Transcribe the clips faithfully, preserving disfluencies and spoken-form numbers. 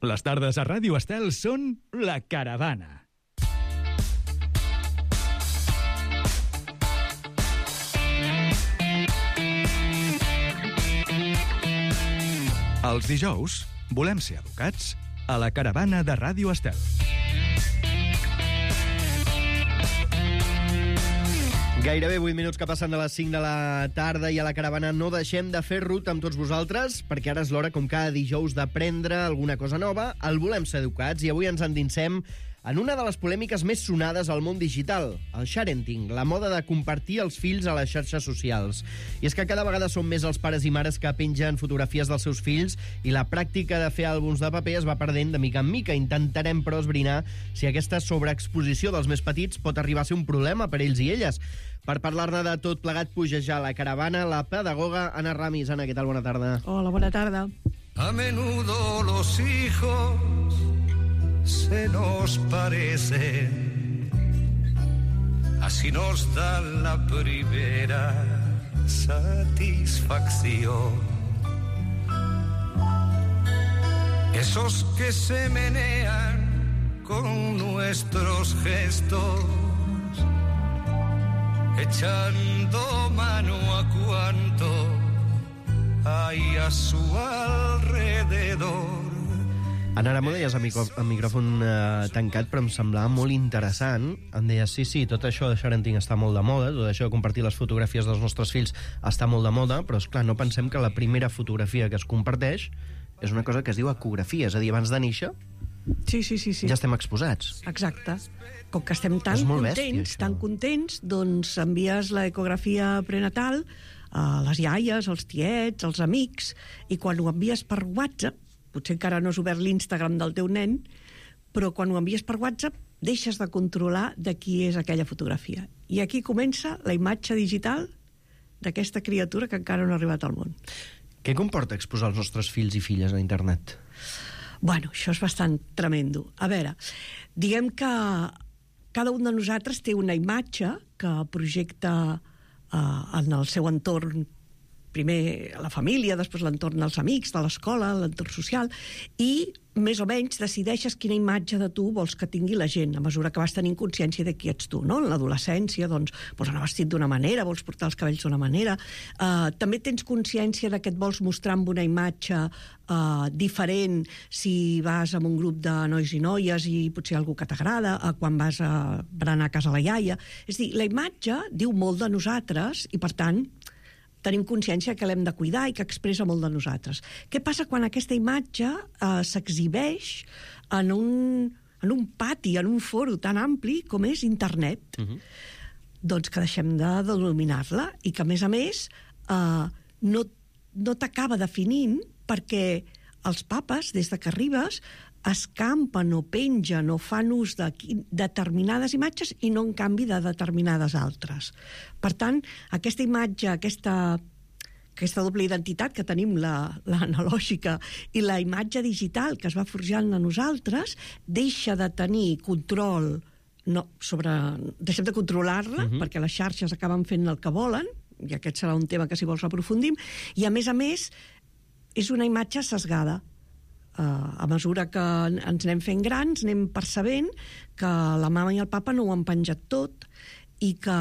Les tardes a Ràdio Estel són La Caravana. Els dijous volem ser educats a La Caravana de Ràdio Estel. Gairebé vuit minuts que passen de les cinc de la tarda i a La Caravana no deixem de fer ruta amb tots vosaltres, perquè ara és l'hora, com cada dijous, d'aprendre alguna cosa nova. El volem ser educats i avui ens endinsem en una de les polèmiques més sonades al món digital, el sharenting, la moda de compartir els fills a les xarxes socials. I és que cada vegada són més els pares i mares que pengen fotografies dels seus fills i la pràctica de fer àlbums de paper es va perdent de mica en mica. Intentarem, però, esbrinar si aquesta sobreexposició dels més petits pot arribar a ser un problema per ells i elles. Per parlar-ne de tot plegat, puja ja a La Caravana la pedagoga Anna Ramis. Anna, què tal? Bona tarda. Hola, bona tarda. A menudo los hijos se nos parecen, así nos dan la primera satisfacción. Esos que se menean con nuestros gestos, echando mano a cuanto hay a su alrededor. Anna, ara m'ho deies a, micro, a micròfon eh, tancat, però em semblava molt interessant. Em deies, sí, sí, tot això de sharenting està molt de moda, tot això de compartir les fotografies dels nostres fills està molt de moda, però, esclar, no pensem que la primera fotografia que es comparteix és una cosa que es diu ecografia, és a dir, abans de néixer Sí, sí, sí, sí. ja estem exposats. Exacte. Com que estem tan És molt contents, bèstia, tan això. contents, doncs envies l'ecografia prenatal a les iaies, als tiets, als amics, i quan ho envies per WhatsApp, potser encara no has obert l'Instagram del teu nen, però quan ho envies per WhatsApp deixes de controlar de qui és aquella fotografia. I aquí comença la imatge digital d'aquesta criatura que encara no ha arribat al món. Què comporta exposar els nostres fills i filles a internet? Bueno, això és bastant tremendo. A veure, diguem que cada un de nosaltres té una imatge que projecta eh, en el seu entorn, primer la família, després l'entorn dels amics, de l'escola, l'entorn social, i més o menys decideixes quina imatge de tu vols que tingui la gent a mesura que vas tenint consciència de qui ets tu, no? En l'adolescència, doncs, vols anar vestit d'una manera, vols portar els cabells d'una manera. Uh, també tens consciència de que et vols mostrar amb una imatge uh, diferent si vas amb un grup de nois i noies i potser algú que t'agrada, uh, quan vas a berenar a casa la iaia. És a dir, la imatge diu molt de nosaltres i, per tant, tenim consciència que l'hem de cuidar i que expressa molt de nosaltres. Què passa quan aquesta imatge eh, s'exhibeix en un, en un pati, en un foro tan ampli com és internet? Uh-huh. Doncs que deixem de dominar-la i que, a més a més, eh, no, no t'acaba definint perquè els papes, des de que arribes, escampen o pengen o fan ús de determinades imatges i no en canvi de determinades altres. Per tant, aquesta imatge, aquesta, aquesta doble identitat que tenim, la, la analògica i la imatge digital que es va forjant a nosaltres, deixa de tenir control no, sobre... deixem de controlar-la, uh-huh. perquè les xarxes acaben fent el que volen, i aquest serà un tema que si vols aprofundim, i a més a més és una imatge sesgada. Uh, a mesura que ens anem fent grans, anem percebent que la mama i el papa no ho han penjat tot i que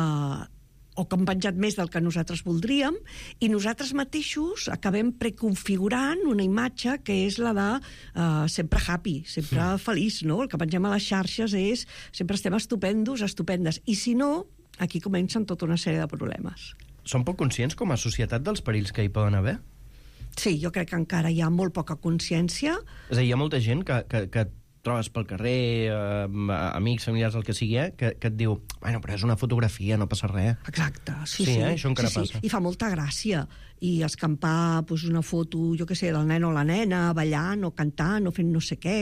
o que han penjat més del que nosaltres voldríem, i nosaltres mateixos acabem preconfigurant una imatge que és la de uh, sempre happy, sempre sí. feliç, no? El que pengem a les xarxes és sempre estem estupendos, estupendes, i si no, aquí comencen tota una sèrie de problemes. Som poc conscients com a societat dels perills que hi poden haver? Sí, jo crec que encara hi ha molt poca consciència. És a dir, hi ha molta gent que, que, que trobes pel carrer, eh, amics, familiars, el que sigui, eh, que, que et diu, bueno, però és una fotografia, no passa res. Exacte, sí, sí. sí. Eh? Això encara sí, passa. Sí. I fa molta gràcia. I escampar pues, una foto, jo què sé, del nen o la nena, ballant o cantant o fent no sé què.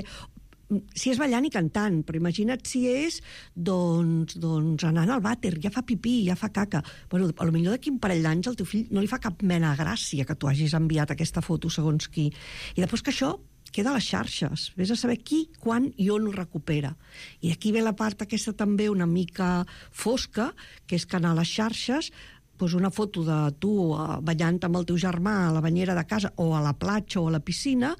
Si és ballant i cantant, però imagina't si és doncs, doncs anant al vàter, ja fa pipí, ja fa caca. Bueno, potser d'aquí un parell d'anys al teu fill no li fa cap mena de gràcia que tu hagis enviat aquesta foto segons qui. I després que això queda a les xarxes. Vés a saber qui, quan i on ho recupera. I aquí ve la part aquesta també una mica fosca, que és que a les xarxes pues una foto de tu ballant amb el teu germà a la banyera de casa o a la platja o a la piscina,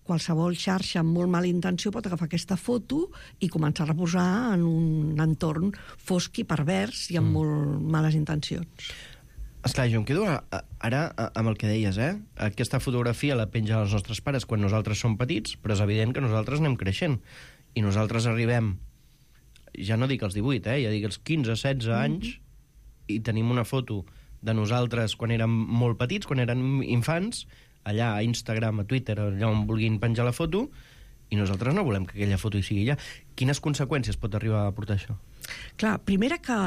qualsevol xarxa amb molt mala intenció pot agafar aquesta foto i començar a reposar en un entorn fosc i pervers i amb mm. molt males intencions. Esclar, jo em quedo ara, ara amb el que deies, eh? Aquesta fotografia la pengen els nostres pares quan nosaltres som petits, però és evident que nosaltres anem creixent. I nosaltres arribem, ja no dic els divuit, eh? Ja dic els quinze, setze mm. anys, i tenim una foto de nosaltres quan érem molt petits, quan érem infants, allà a Instagram, a Twitter, allà on vulguin penjar la foto, i nosaltres no volem que aquella foto hi sigui allà. Quines conseqüències pot arribar a portar això? Clar, primera que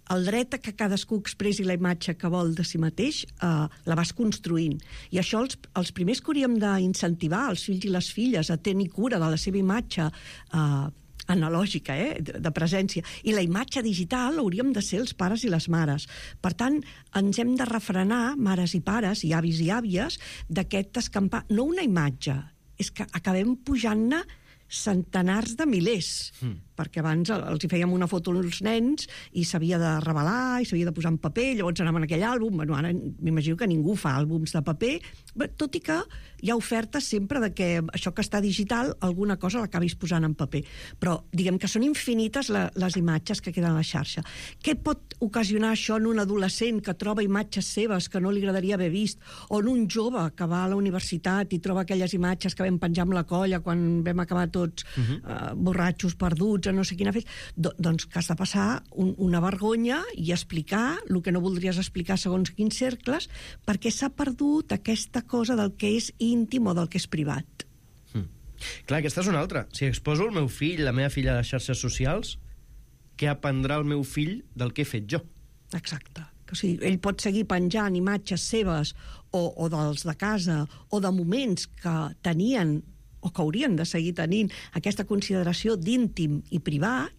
el dret a que cadascú expressi la imatge que vol de si mateix eh, la vas construint. I això els, els primers que hauríem d'incentivar, els fills i les filles, a tenir cura de la seva imatge eh, analògica, eh, de presència. I la imatge digital hauríem de ser els pares i les mares. Per tant, ens hem de refrenar, mares i pares, i avis i àvies, d'aquest escampar. No una imatge, és que acabem pujant-ne centenars de milers, mm. perquè abans els hi fèiem una foto als nens i s'havia de revelar i s'havia de posar en paper, llavors anaven en aquell àlbum. Bueno, ara m'imagino que ningú fa àlbums de paper, tot i que hi ha ofertes sempre de que això que està digital, alguna cosa l'acabis posant en paper. Però diguem que són infinites la, les imatges que queden a la xarxa. Què pot ocasionar això en un adolescent que troba imatges seves que no li agradaria haver vist, o en un jove que va a la universitat i troba aquelles imatges que vam penjar amb la colla quan vam acabar tots uh-huh. uh, borratxos, perduts, a no sé quina festa? Do, doncs que has de passar un, una vergonya i explicar el que no voldries explicar segons quins cercles, perquè s'ha perdut aquesta cosa del que és íntim o del que és privat. Mm. Clar, aquesta és una altra. Si exposo el meu fill, la meva filla a les xarxes socials, què aprendrà el meu fill del que he fet jo? Exacte. O sigui, ell pot seguir penjant imatges seves o, o dels de casa o de moments que tenien o que haurien de seguir tenint aquesta consideració d'íntim i privat.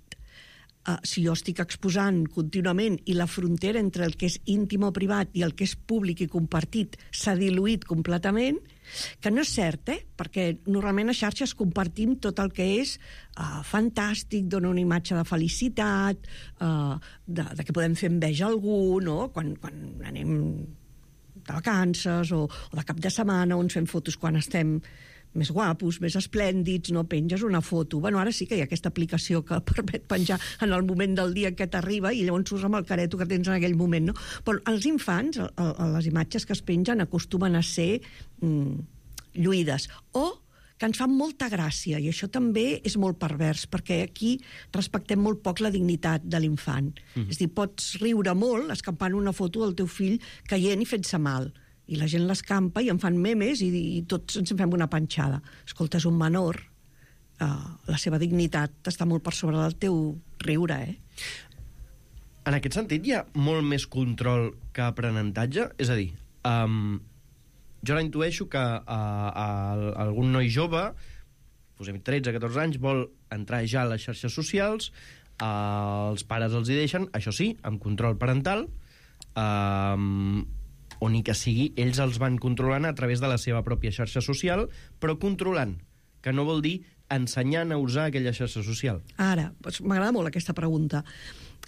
Uh, si jo estic exposant contínuament i la frontera entre el que és íntim o privat i el que és públic i compartit s'ha diluït completament, que no és cert, eh? Perquè normalment a xarxes compartim tot el que és uh, fantàstic, dona una imatge de felicitat, uh, de, de que podem fer enveja a algú, no? Quan, quan anem de vacances o, o de cap de setmana, on fem fotos quan estem més guapos, més esplèndids, no penges una foto. Bueno, ara sí que hi ha aquesta aplicació que permet penjar en el moment del dia que t'arriba i llavors surts amb el careto que tens en aquell moment, no? Però els infants, a, a les imatges que es pengen, acostumen a ser mm, lluïdes. O que ens fan molta gràcia, i això també és molt pervers, perquè aquí respectem molt poc la dignitat de l'infant. Mm. És a dir, pots riure molt escampant una foto del teu fill caient i fent-se mal, i la gent l'escampa i en fan memes i, i tots ens en fem una panxada. Escolta, és un menor, uh, la seva dignitat està molt per sobre del teu riure, eh? En aquest sentit hi ha molt més control que aprenentatge? És a dir, um, jo la intueixo que uh, uh, algun noi jove, posem tretze catorze anys, vol entrar ja a les xarxes socials, uh, els pares els hi deixen, això sí, amb control parental, uh, o ni que sigui, ells els van controlant a través de la seva pròpia xarxa social, però controlant, que no vol dir ensenyant a usar aquella xarxa social. Ara, doncs m'agrada molt aquesta pregunta.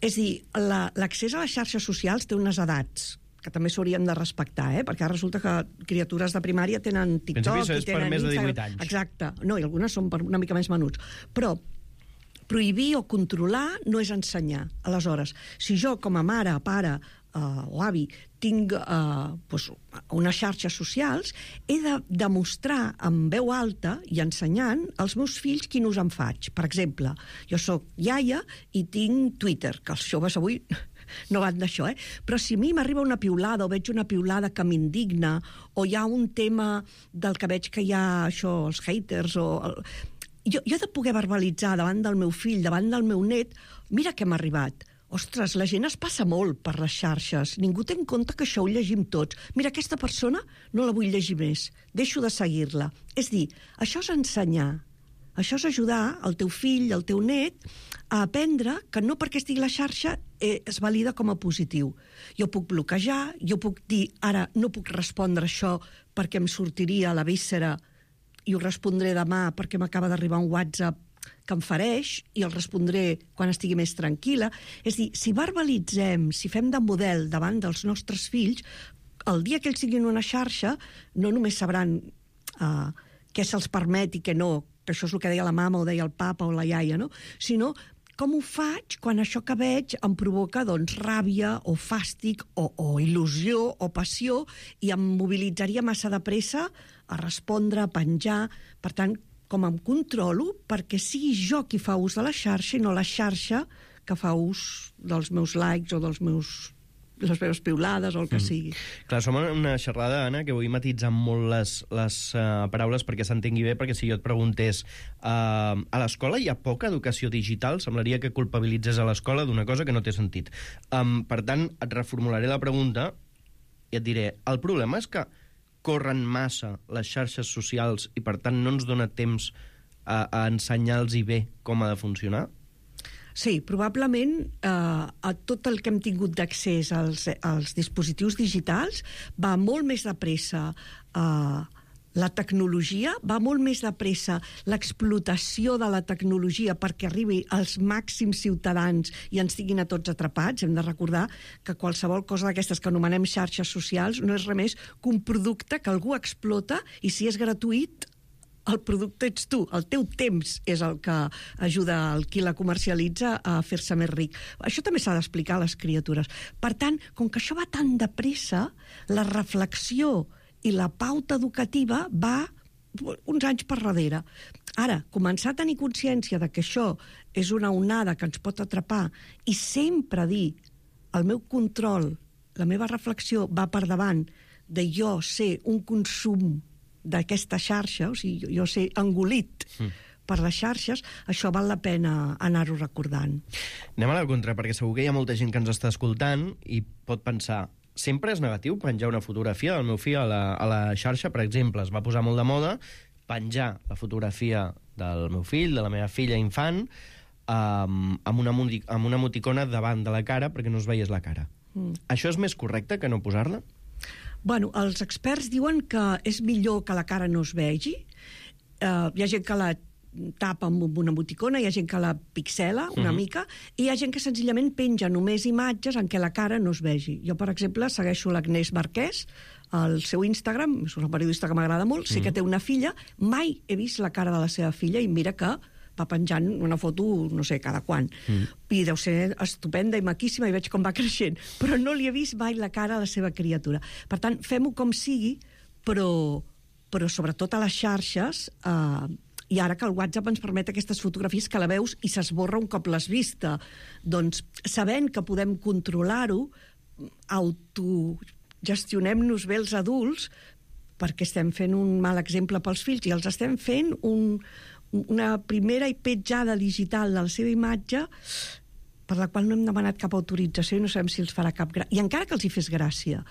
És dir, l'accés a les xarxes socials té unes edats que també s'haurien de respectar, eh? Perquè ara resulta que criatures de primària tenen TikTok i tenen per més de divuit anys. Exacte. No, i algunes són per una mica més menuts. Però prohibir o controlar no és ensenyar. Aleshores, si jo com a mare, pare uh, o avi tinc uh, pues, unes xarxes socials, he de demostrar amb veu alta i ensenyant als meus fills quin ús en faig. Per exemple, jo sóc iaia i tinc Twitter, que els joves avui no van d'això, eh? Però si a mi m'arriba una piulada o veig una piulada que m'indigna o hi ha un tema del que veig que hi ha això, els haters o... El... Jo, jo he de poder verbalitzar davant del meu fill, davant del meu net, mira què m'ha arribat. Ostres, la gent es passa molt per les xarxes. Ningú té en compte que això ho llegim tots. Mira, aquesta persona no la vull llegir més. Deixo de seguir-la. És dir, això és ensenyar. Això és ajudar el teu fill, el teu net, a aprendre que no perquè estigui a la xarxa eh, es valida com a positiu. Jo puc bloquejar, jo puc dir, ara no puc respondre això perquè em sortiria a la víscera i ho respondré demà perquè m'acaba d'arribar un WhatsApp que em fereix i el respondré quan estigui més tranquil·la. És dir, si verbalitzem, si fem de model davant dels nostres fills, el dia que ells siguin una xarxa no només sabran uh, què se'ls permet i què no, que això és el que deia la mama o deia el papa o la iaia, no? Sinó com ho faig quan això que veig em provoca doncs, ràbia o fàstic o, o il·lusió o passió i em mobilitzaria massa de pressa a respondre, a penjar. Per tant, com em controlo perquè sigui jo qui fa ús de la xarxa i no la xarxa que fa ús dels meus likes o dels meus les meves piulades o el que mm. sigui. Clar, som en una xerrada, Anna, que vull matitzar molt les, les uh, paraules perquè s'entengui bé, perquè si jo et preguntés uh, a l'escola hi ha poca educació digital, semblaria que culpabilitzes a l'escola d'una cosa que no té sentit. Um, per tant, et reformularé la pregunta i et diré, el problema és que corren massa les xarxes socials i per tant no ens dona temps a, a ensenyar-los bé com ha de funcionar? Sí, probablement eh, a tot el que hem tingut d'accés als, als dispositius digitals va molt més de pressa eh, la tecnologia, va molt més de pressa l'explotació de la tecnologia perquè arribi als màxims ciutadans i ens tinguin a tots atrapats. Hem de recordar que qualsevol cosa d'aquestes que anomenem xarxes socials no és res més que un producte que algú explota i si és gratuït el producte ets tu, el teu temps és el que ajuda el qui la comercialitza a fer-se més ric. Això també s'ha d'explicar a les criatures. Per tant, com que això va tan de pressa, la reflexió i la pauta educativa va uns anys per darrere. Ara, començar a tenir consciència de que això és una onada que ens pot atrapar i sempre dir el meu control, la meva reflexió va per davant de jo ser un consum d'aquesta xarxa, o sigui, jo sé engolit mm. per les xarxes, això val la pena anar-ho recordant. Anem a la contra, perquè segur que hi ha molta gent que ens està escoltant i pot pensar, sempre és negatiu penjar una fotografia del meu fill a la, a la xarxa, per exemple, es va posar molt de moda penjar la fotografia del meu fill, de la meva filla infant, um, amb, una, amb una emoticona davant de la cara perquè no es veiés la cara. Mm. Això és més correcte que no posar-la? Bueno, els experts diuen que és millor que la cara no es vegi. Uh, hi ha gent que la tapa amb una emoticona, hi ha gent que la pixela una uh-huh. mica, i hi ha gent que senzillament penja només imatges en què la cara no es vegi. Jo, per exemple, segueixo l'Agnès Marquès, al seu Instagram, és una periodista que m'agrada molt, uh-huh. sé que té una filla, mai he vist la cara de la seva filla, i mira que va penjant una foto, no sé, cada quan. Mm. I deu ser estupenda i maquíssima i veig com va creixent. Però no li he vist mai la cara a la seva criatura. Per tant, fem-ho com sigui, però, però sobretot a les xarxes, eh, i ara que el WhatsApp ens permet aquestes fotografies que la veus i s'esborra un cop l'has vista. Doncs, sabent que podem controlar-ho, autogestionem-nos bé els adults, perquè estem fent un mal exemple pels fills i els estem fent un... una primera i petjada digital de la seva imatge per la qual no hem demanat cap autorització i no sabem si els farà cap gràcia. I encara que els hi fes gràcia,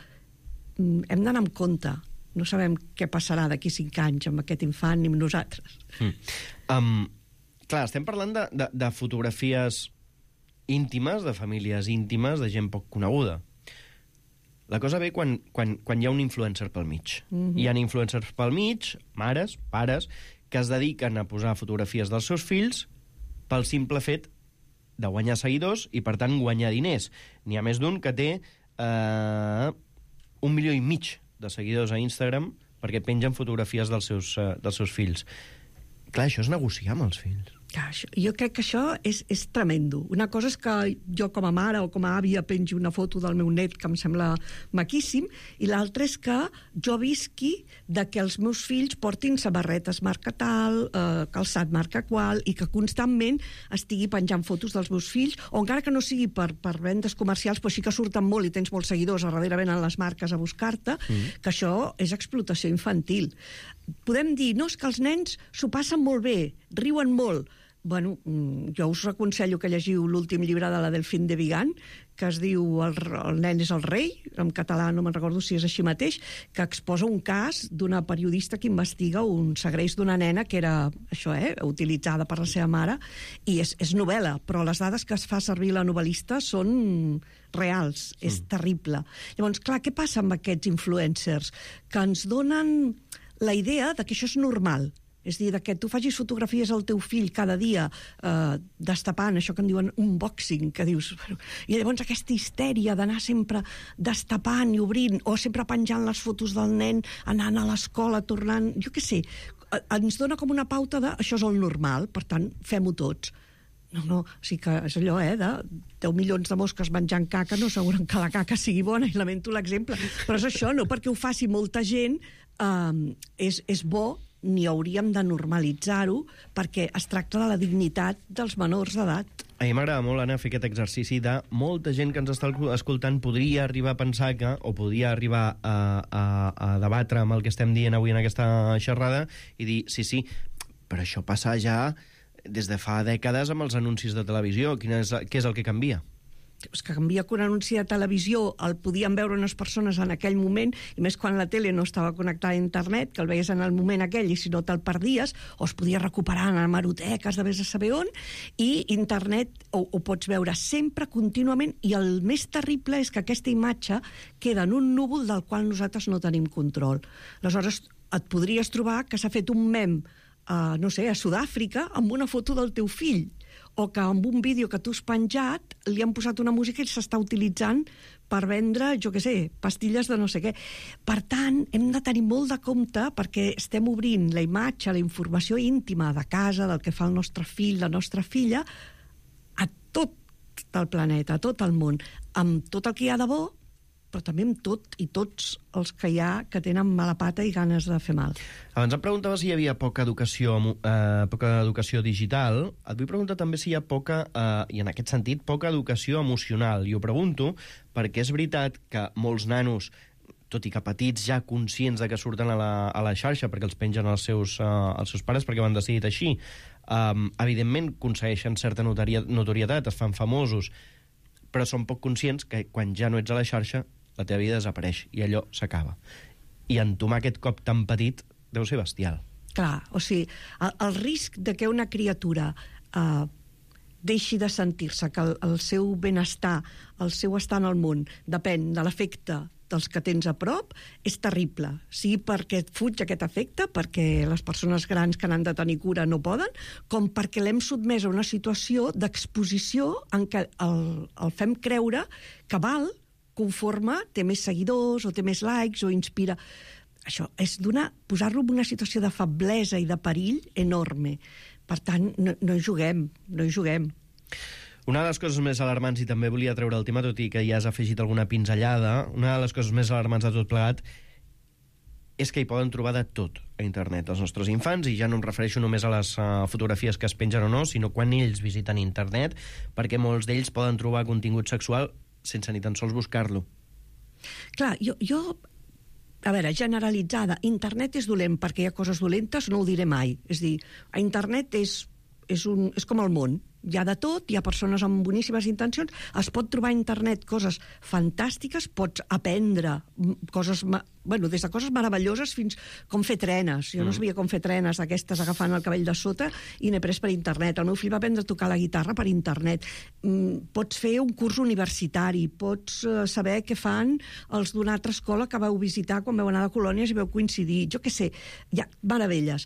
hem d'anar amb compte. No sabem què passarà d'aquí cinc anys amb aquest infant ni amb nosaltres. Mm. Um, clar, estem parlant de, de, de fotografies íntimes, de famílies íntimes, de gent poc coneguda. La cosa ve quan, quan, quan hi ha un influencer pel mig. Mm-hmm. Hi ha influencers pel mig, mares, pares, que es dediquen a posar fotografies dels seus fills pel simple fet de guanyar seguidors i, per tant, guanyar diners. N'hi ha més d'un que té eh, un milió i mig de seguidors a Instagram perquè pengen fotografies dels seus, uh, dels seus fills. Clar, això és negociar amb els fills. Jo crec que això és, és tremendo. Una cosa és que jo com a mare o com a àvia pengi una foto del meu net que em sembla maquíssim, i l'altra és que jo visqui de que els meus fills portin samarretes marca tal, eh, calçat marca qual, i que constantment estigui penjant fotos dels meus fills, o encara que no sigui per, per vendes comercials, però sí que surten molt i tens molts seguidors, a darrere venen les marques a buscar-te, mm. que això és explotació infantil. Podem dir, no, és que els nens s'ho passen molt bé, riuen molt. Bueno, jo us aconsello que llegiu l'últim llibre de la Delphine de Vigan, que es diu El, el nen és el rei, en català no me'n recordo si és així mateix, que exposa un cas d'una periodista que investiga un segreix d'una nena que era, això, eh, utilitzada per la seva mare, i és, és novel·la, però les dades que es fa servir la novel·lista són reals, mm. és terrible. Llavors, clar, què passa amb aquests influencers? Que ens donen la idea de que això és normal. És a dir, que tu facis fotografies al teu fill cada dia eh, destapant, això que en diuen unboxing, que dius... I llavors aquesta histèria d'anar sempre destapant i obrint, o sempre penjant les fotos del nen, anant a l'escola, tornant... Jo què sé, ens dona com una pauta de això és el normal, per tant, fem-ho tots. No, no, o sigui que és allò, eh, de deu milions de mosques menjant caca no asseguren que la caca sigui bona, i lamento l'exemple, però és això, no perquè ho faci molta gent, eh, és, és bo, ni hauríem de normalitzar-ho, perquè es tracta de la dignitat dels menors d'edat. A mi m'agrada molt, Anna, fer aquest exercici de molta gent que ens està escoltant podria arribar a pensar que, o podria arribar a, a, a debatre amb el que estem dient avui en aquesta xerrada i dir, sí, sí, però això passa ja des de fa dècades amb els anuncis de televisió. Quin és, què és el que canvia? És que canvia que un anunci de televisió el podien veure unes persones en aquell moment, i més quan la tele no estava connectada a internet, que el veies en el moment aquell i si no te'l perdies, o es podia recuperar en hemeroteques de vés a saber on, i internet ho, ho pots veure sempre, contínuament, i el més terrible és que aquesta imatge queda en un núvol del qual nosaltres no tenim control. Aleshores, et podries trobar que s'ha fet un mem, uh, no sé, a Sud-àfrica, amb una foto del teu fill, o que amb un vídeo que tu has penjat li han posat una música i s'està utilitzant per vendre, jo què sé, pastilles de no sé què. Per tant, hem de tenir molt de compte perquè estem obrint la imatge, la informació íntima de casa, del que fa el nostre fill, la nostra filla, a tot el planeta, a tot el món, amb tot el que hi ha de bo, però també amb tot i tots els que hi ha que tenen mala pata i ganes de fer mal. Abans em preguntava si hi havia poca educació, eh, poca educació digital. Et vull preguntar també si hi ha poca, eh, i en aquest sentit, poca educació emocional. I ho pregunto perquè és veritat que molts nanos, tot i que petits, ja conscients de que surten a la, a la xarxa perquè els pengen els seus, eh, els seus pares perquè ho han decidit així, eh, evidentment aconsegueixen certa notorietat, es fan famosos, però són poc conscients que quan ja no ets a la xarxa la teva vida desapareix i allò s'acaba. I entomar aquest cop tan petit deu ser bestial. Clar, o sigui, el, el risc de que una criatura eh, deixi de sentir-se que el, el seu benestar, el seu estar en el món, depèn de l'efecte dels que tens a prop, és terrible. Sigui perquè et fuig aquest efecte, perquè les persones grans que n'han de tenir cura no poden, com perquè l'hem sotmès a una situació d'exposició en què el, el fem creure que val conforme té més seguidors o té més likes o inspira. Això és donar, posar-lo en una situació de feblesa i de perill enorme. Per tant, no, no hi juguem, no hi juguem. Una de les coses més alarmants, i també volia treure el tema, tot i que ja has afegit alguna pinzellada, una de les coses més alarmants de tot plegat és que hi poden trobar de tot a internet els nostres infants, i ja no em refereixo només a les uh, fotografies que es pengen o no, sinó quan ells visiten internet, perquè molts d'ells poden trobar contingut sexual sense ni tan sols buscar-lo. Clar, jo, jo, a veure, generalitzada, internet és dolent perquè hi ha coses dolentes, no ho diré mai. És dir, a internet és, és, un, és com el món. Hi ha de tot, hi ha persones amb boníssimes intencions, es pot trobar a internet coses fantàstiques, pots aprendre coses, bueno, des de coses meravelloses fins com fer trenes. Jo no sabia com fer trenes d'aquestes agafant el cabell de sota i n'he pres per internet. El meu fill va aprendre a tocar la guitarra per internet. Pots fer un curs universitari, pots saber què fan els d'una altra escola que vau visitar quan vau anar de colònies i vau coincidir. Jo què sé, hi ha meravelles.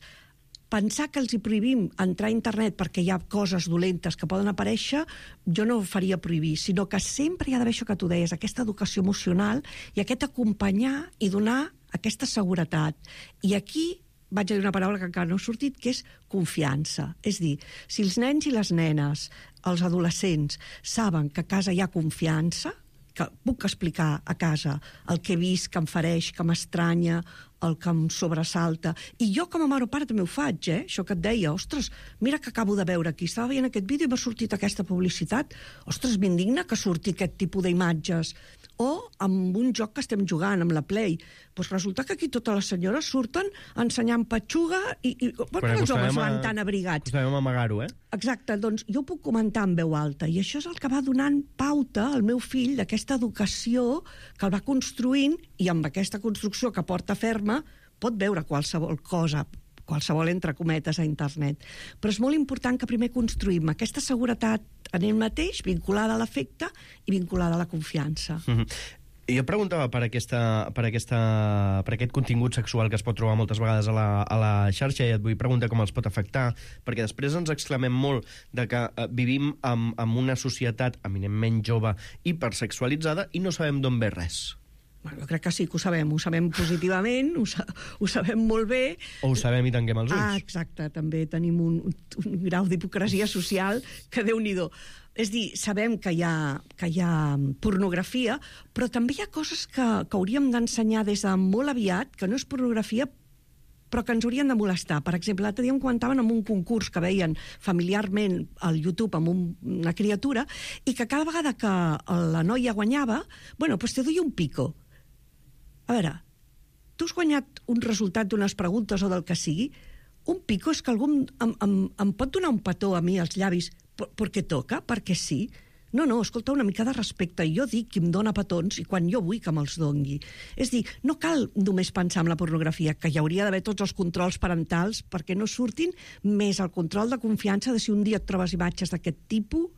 Pensar que els hi prohibim entrar a internet perquè hi ha coses dolentes que poden aparèixer, jo no ho faria prohibir, sinó que sempre hi ha d'haver això que tu deies, aquesta educació emocional i aquest acompanyar i donar aquesta seguretat. I aquí vaig a dir una paraula que encara no ha sortit, que és confiança. És dir, si els nens i les nenes, els adolescents, saben que a casa hi ha confiança, que puc explicar a casa el que he vist, que em fereix, que m'estranya, el que em sobresalta. I jo com a mare o pare també ho faig, eh? Això que et deia, ostres, mira que acabo de veure aquí, estava veient aquest vídeo i m'ha sortit aquesta publicitat, ostres, m'indigna que surti aquest tipus d'imatges. O amb un joc que estem jugant, amb la Play. Doncs resulta que aquí totes les senyores surten ensenyant petxuga i, i per què els homes van tan abrigats? Acostumem a amagar-ho, eh? Exacte, doncs jo ho puc comentar en veu alta, i això és el que va donant pauta al meu fill d'aquesta educació que el va construint, i amb aquesta construcció que porta ferma pot veure qualsevol cosa, qualsevol entre cometes a internet. Però és molt important que primer construïm aquesta seguretat en ell mateix, vinculada a l'afecte i vinculada a la confiança. Mm-hmm. Jo preguntava per, aquesta, per, aquesta, per aquest contingut sexual que es pot trobar moltes vegades a la, a la xarxa, i et vull preguntar com els pot afectar, perquè després ens exclamem molt de que eh, vivim en, en una societat eminentment jove, hipersexualitzada, i no sabem d'on ve res. Bueno, jo crec que sí que ho sabem, ho sabem positivament, ho, sa ho sabem molt bé. O ho sabem i tanquem els ulls. Ah, exacte, també tenim un, un grau d'hipocresia social que Déu-n'hi-do. És dir, sabem que hi ha, que hi ha pornografia, però també hi ha coses que, que hauríem d'ensenyar des de molt aviat, que no és pornografia, però que ens haurien de molestar. Per exemple, l'altre dia em comentaven en un concurs que veien familiarment al YouTube amb un, una criatura i que cada vegada que la noia guanyava, bueno, doncs te doy un pico. A veure, tu has guanyat un resultat d'unes preguntes o del que sigui, un pico és que algú em, em, em pot donar un petó a mi als llavis perquè toca, perquè sí. No, no, escolta, una mica de respecte. Jo dic qui em dona petons i quan jo vull que me'ls dongui. És dir, no cal només pensar en la pornografia, que hi hauria d'haver tots els controls parentals perquè no surtin, més el control de confiança de si un dia et trobes imatges d'aquest tipus,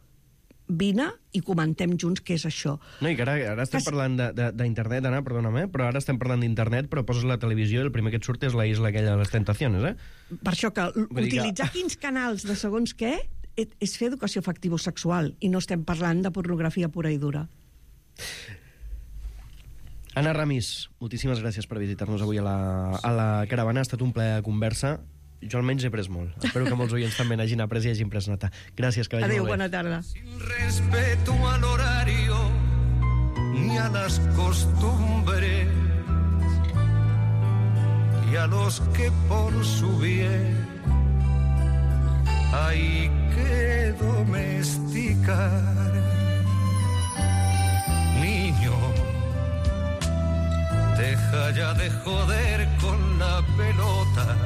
vine i comentem junts què és això. No, i que ara, ara estem que... parlant d'internet, Anna, perdona'm, eh? Però ara estem parlant d'internet, però poses la televisió i el primer que et surt és la isla aquella de les tentacions, eh? Per això que utilitzar que... quins canals de segons què és fer educació afectivo-sexual i no estem parlant de pornografia pura i dura. Anna Ramis, moltíssimes gràcies per visitar-nos avui a la, a la caravana. Ha estat un plaer de conversa. Jo almenys he pres molt. Espero que molts oients també n'hagin après i hagin pres nota. Gràcies, que vagi Adéu, molt bé. bona tarda. Sin respeto al horario ni a las costumbres y a los que por su bien hay que domesticar. Niño, deja ya de joder con la pelota.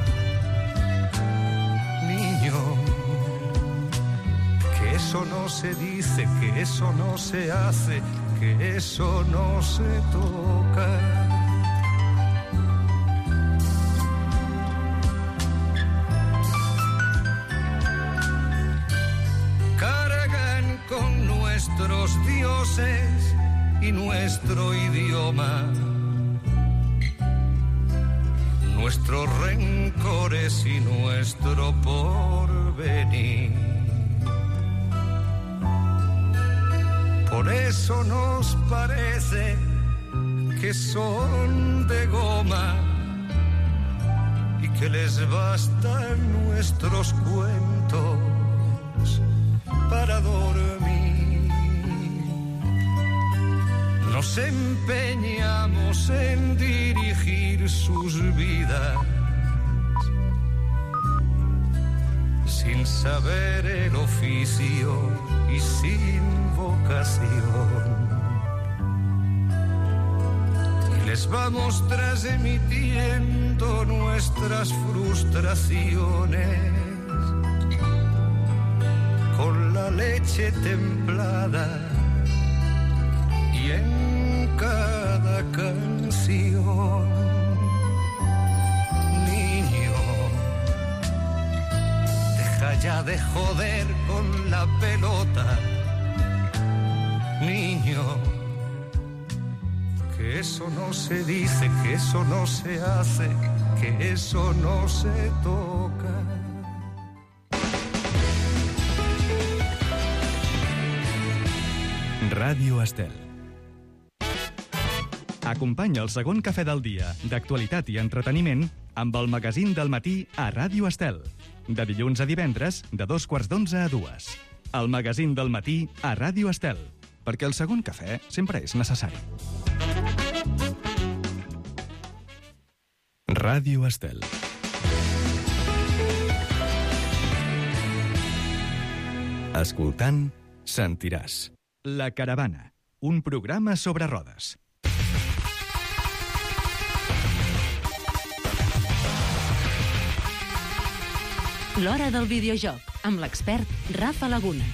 Niño, que eso no se dice, que eso no se hace, que eso no se toca. Con nuestros dioses y nuestro idioma, nuestros rencores y nuestro porvenir. Por eso nos parece que son de goma y que les bastan nuestros cuentos para dormir. Nos empeñamos en dirigir sus vidas sin saber el oficio y sin vocación. Y les vamos transmitiendo nuestras frustraciones con la leche templada y en cada canción. Niño, deja ya de joder con la pelota. Niño, que eso no se dice, que eso no se hace, que eso no se toca. Ràdio Estel. Acompanya el segon cafè del dia, d'actualitat i entreteniment, amb el magazín del matí a Ràdio Estel. De dilluns a divendres, de dos quarts d'onze a dues. El magazín del matí a Ràdio Estel. Perquè el segon cafè sempre és necessari. Ràdio Estel. Escoltant, sentiràs. La Caravana, un programa sobre rodes. L'hora del videojoc, amb l'expert Rafa Laguna.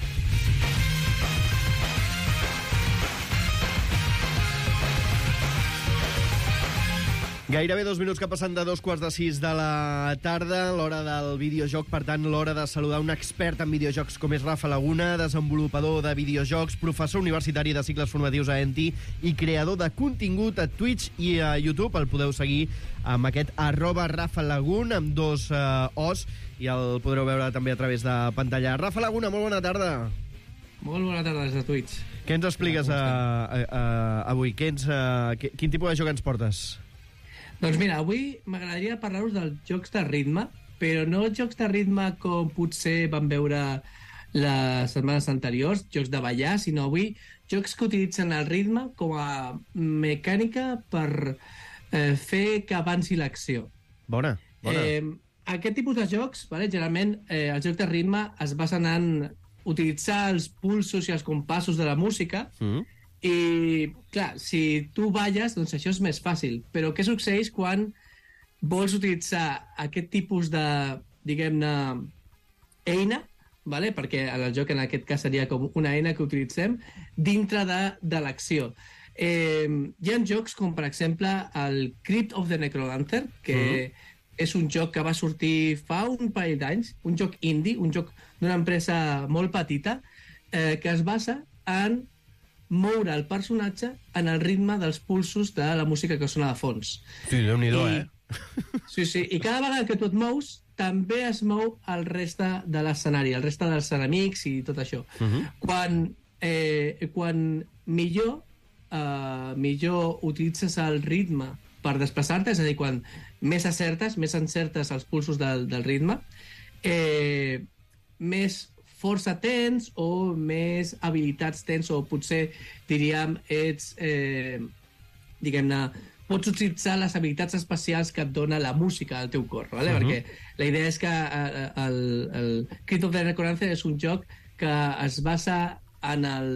Gairebé dos minuts que passen de dos quarts de sis de la tarda, l'hora del videojoc, per tant, l'hora de saludar un expert en videojocs com és Rafa Laguna, desenvolupador de videojocs, professor universitari de cicles formatius a Enti i creador de contingut a Twitch i a YouTube. El podeu seguir amb aquest arroba Rafa Lagun, amb dos uh, os, i el podreu veure també a través de pantalla. Rafa Laguna, molt bona tarda. Molt bona tarda des de Twitch. Què ens expliques a, a, a, avui? Què ens, a, quin tipus de joc ens portes? Doncs mira, avui m'agradaria parlar-vos dels jocs de ritme, però no jocs de ritme com potser vam veure les setmanes anteriors, jocs de ballar, sinó avui jocs que utilitzen el ritme com a mecànica per eh, fer que avanci l'acció. Bona, bona. Eh, aquest tipus de jocs, vale, generalment, eh, els jocs de ritme es basen en utilitzar els pulsos i els compassos de la música, mm. i, clar, si tu balles, doncs això és més fàcil. Però què succeeix quan vols utilitzar aquest tipus de, diguem-ne, eina, vale? Perquè el joc en aquest cas seria com una eina que utilitzem dintre de, de l'acció. Eh, hi ha jocs com, per exemple, el Crypt of the Necrodancer, que mm. és un joc que va sortir fa un parell d'anys, un joc indie, un joc d'una empresa molt petita, eh, que es basa en moure el personatge en el ritme dels pulsos de la música que sona de fons. Sí, Déu-n'hi-do, eh? Sí, sí, i cada vegada que tu et mous, també es mou el reste de l'escenari, el reste dels enemics i tot això. Uh-huh. Quan, eh, quan millor, eh, millor utilitzes el ritme per desplaçar-te, és a dir, quan més acertes, més encertes els pulsos del, del ritme, eh, més força tens o més habilitats tens, o potser, diríem, ets, eh, diguem-ne, pots utilitzar les habilitats especials que et dona la música al teu cor, ¿vale? Uh-huh. Perquè la idea és que eh, el, el Crypt of the Necrodancer és un joc que es basa en el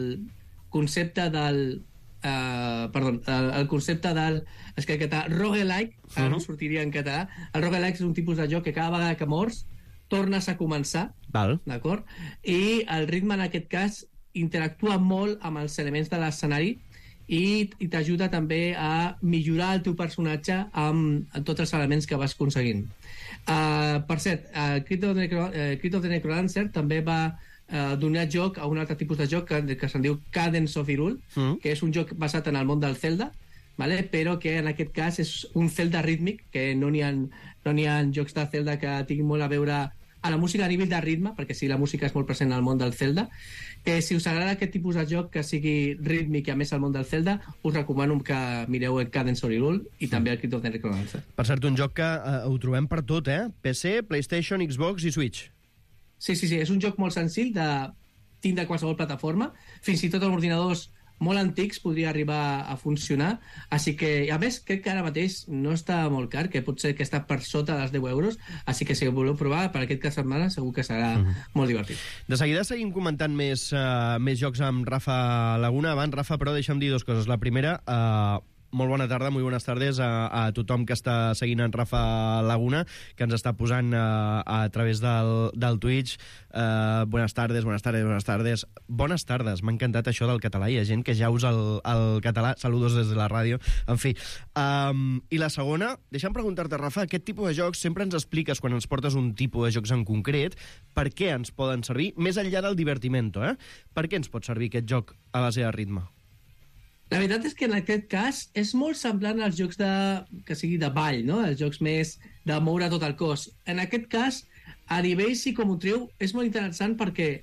concepte del Uh, perdó, el, el concepte del és que en català, roguelike, ara no sortiria en català. El roguelike és un tipus de joc que cada vegada que mors tornes a començar. Val. D'acord? I el ritme en aquest cas interactua molt amb els elements de l'escenari i, i t'ajuda també a millorar el teu personatge amb, amb tots els elements que vas aconseguint. Uh, per cert, uh, Crypt of the Necro, uh, Crypt of the Necrodancer també va Uh, donar joc a un altre tipus de joc que, que se'n diu Cadence of Hyrule, mm. que és un joc basat en el món del Zelda, vale? Però que en aquest cas és un Zelda rítmic, que no n'hi ha, no n'hi ha jocs de Zelda que tinguin molt a veure a la música a nivell de ritme, perquè sí, la música és molt present al món del Zelda, que si us agrada aquest tipus de joc que sigui rítmic i a més al món del Zelda, us recomano que mireu el Cadence of Hyrule i mm. també el Crypt of the Necrodancer. Per cert, un joc que uh, ho trobem per tot, eh? P C, PlayStation, Xbox i Switch. Sí, sí, sí, és un joc molt senzill de tindre qualsevol plataforma, fins i tot amb ordinadors molt antics podria arribar a funcionar, així que, a més, crec que ara mateix no està molt car, que pot ser que està per sota dels deu euros, així que si voleu provar per aquest cap de setmana segur que serà mm-hmm. molt divertit. De seguida seguim comentant més, uh, més jocs amb Rafa Laguna. Abans, Rafa, però deixa'm dir dues coses. La primera, uh, molt bona tarda, molt bones tardes a, a tothom que està seguint en Rafa Laguna, que ens està posant uh, a través del, del Twitch. Uh, bones tardes, bones tardes, bones tardes. Bones tardes, m'ha encantat això del català. Hi ha gent que ja usa el, el català. Saludos des de la ràdio. En fi. Um, I la segona, deixa'm preguntar-te, Rafa, aquest tipus de jocs sempre ens expliques, quan ens portes un tipus de jocs en concret, per què ens poden servir, més enllà del divertimento, eh? Per què ens pot servir aquest joc a base de ritme? La veritat és que en aquest cas és molt semblant als jocs de, que sigui de ball, no? Els jocs més de moure tot el cos. En aquest cas, a nivell psicomotriu, és molt interessant perquè